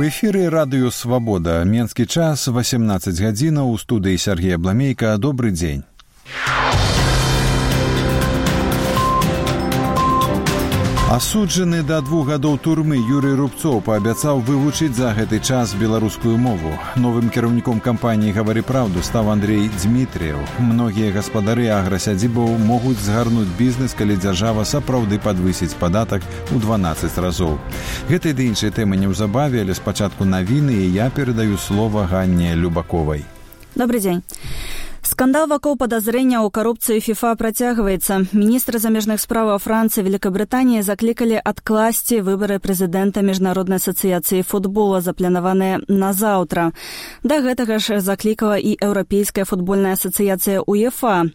У эфіры радыё «Свабода». Менскі час, 18 гадзінаў, у студыі Сергея Бламейка. Добры дзень. Асуджаны да 2 гадоў турмы Юрый Рубцоў паабяцаў вывучыць за гэты час беларускую мову. Новым кіраўніком кампаніі «Гавары праўду» стаў Андрей Дмітрыеў. Многія гаспадары аграсядзібаў могуць згарнуць бізнес, калі дзяржава сапраўды падвысіць падатак у 12 разоў. Гэтай ды іншай тэмы неўзабаве, але спачатку навіны, і я перадаю слова Ганне Любаковай. Добрый дзень. Скандал вакол падазрэння ў карупцыі ФІФА працягваецца. Міністры замежных справаў Францыі і Великабрытаніі заклікалі адкласці выбары прэзідэнта Міжнароднай асацыяцыі футбола, запланаваныя на заўтра. Да гэтага ж заклікала і Еўрапейская футбольная асацыяцыя УЕФА.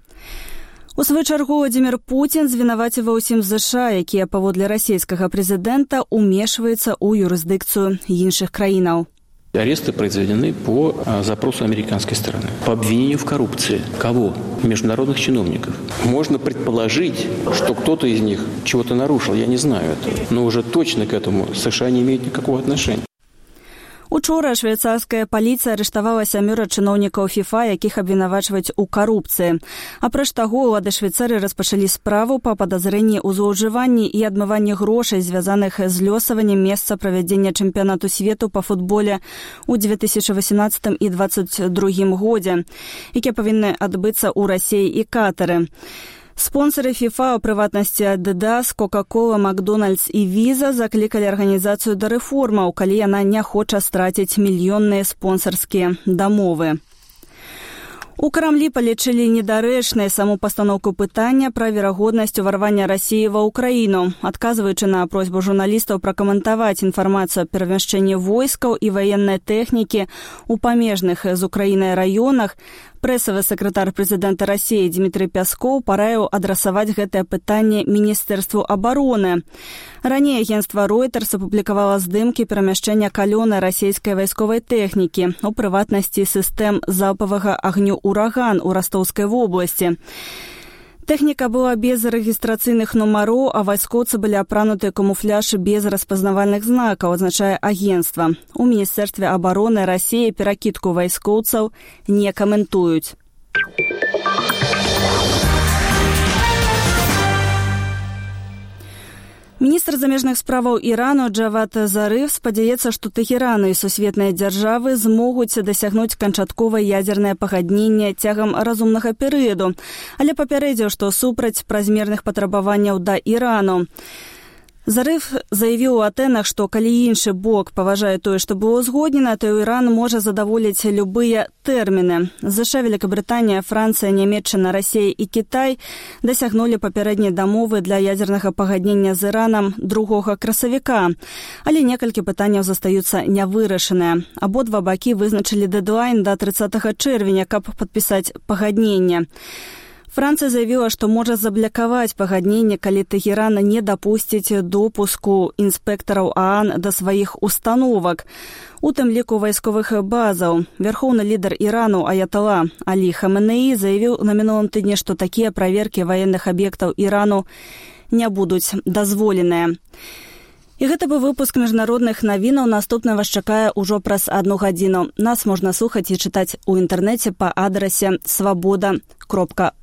У сваю чаргу Владзімір Пуцін звінаваціў ўсім ЗША, якія паводле расійскага прэзідэнта умешваюцца ў юрысдыкцыю іншых краінаў. Аресты произведены по запросу американской стороны. По обвинению в коррупции. Кого? Международных чиновников. Можно предположить, что кто-то из них чего-то нарушил. Я не знаю этого. Но уже точно к этому США не имеют никакого отношения. Учора швейцарская паліцыя арыштавала 7 чыноўнікаў ФІФА, якіх абвінавачваюць у карупцыі. Апроч таго, улады Швейцарыі распачалі справу па падазрэнні ў злоўжыванні і адмыванні грошай, звязаных з лёсаваннем месца правядзення чэмпіянату свету па футболе ў 2018 і 2022 годзе, якія павінны адбыцца ў Расіі і Катары. Спонсоры ФІФА, у прыватнасці Adidas, Coca-Cola, Макдональдс і Visa заклікалі арганізацыю да рэформаў, калі яна не хоча страціць мільённыя спонсарскія дамовы. У Крамлі палічылі недарэчнай саму пастаноўку пытання пра верагоднасць уварвання Расіі ва ўкраіну. Адказваючы на просьбу журналістаў пракаментаваць інфармацыю аб перамяшчэнні войскаў і ваеннай тэхнікі ў памежных з Украінай раёнах, прэсавы сакратар прэзідэнта Расіі Дмітрый Пяскоў параіў адрасаваць гэтае пытанне Міністэрству абароны. Раней агенцтва Reuters апублікавала здымкі перамяшчэння калёнай расійскай вайсковай тэхнікі, у прыватнасці сістэм залпавага агню «Ураган» у Ростовскай вобласці. Тэхніка была без рэгістрацыйных нумароў, а вайскоўцы былі апрануты камуфляж без распазнавальных знакаў, адзначае агенцтва. У Міністэрстве абароны Расіі перакідку вайскоўцаў не каментуюць. Міністр замежных справаў Ірану Джавад Зарыф спадзяецца, што Тэхеран і сусветныя дзяржавы змогуць дасягнуць канчатковае ядзернае пагадненне цягам разумнага перыяду, але папярэдзіў, што супраць празмерных патрабаванняў да Ірану. Зарыф заявіў у Атэнах, што калі іншы бок паважае тое, што было узгоднена, то Іран можа задаволіць любыя тэрміны. ЗША, Великабрытанія, Францыя, Нямецчына, Расія і Кітай дасягнулі папярэдняй дамовы для ядзернага пагаднення з Іранам 2 красавіка. Але некалькі пытанняў застаюцца нявырашаныя. Абодва бакі вызначылі дэдлайн да 30 чэрвеня, каб падпісаць пагадненне. Францыя заявіла, што можа заблакаваць пагадненне, калі Тэхеран не дапусціць допуску інспектараў ААН да сваіх установак, у тым ліку вайсковых базаў. Вярхоўны лідар Ірану Аятала Алі Хаменеі заявіў на мінулым тыдні, што такія праверкі ваенных аб'ектаў Ірану не будуць дазволеныя. І гэта быў выпуск міжнародных навінаў. Наступна вас чакае ўжо праз 1 гадзіну. Нас можна слухаць і чытаць у інтэрнэце па адрасе swaboda.org.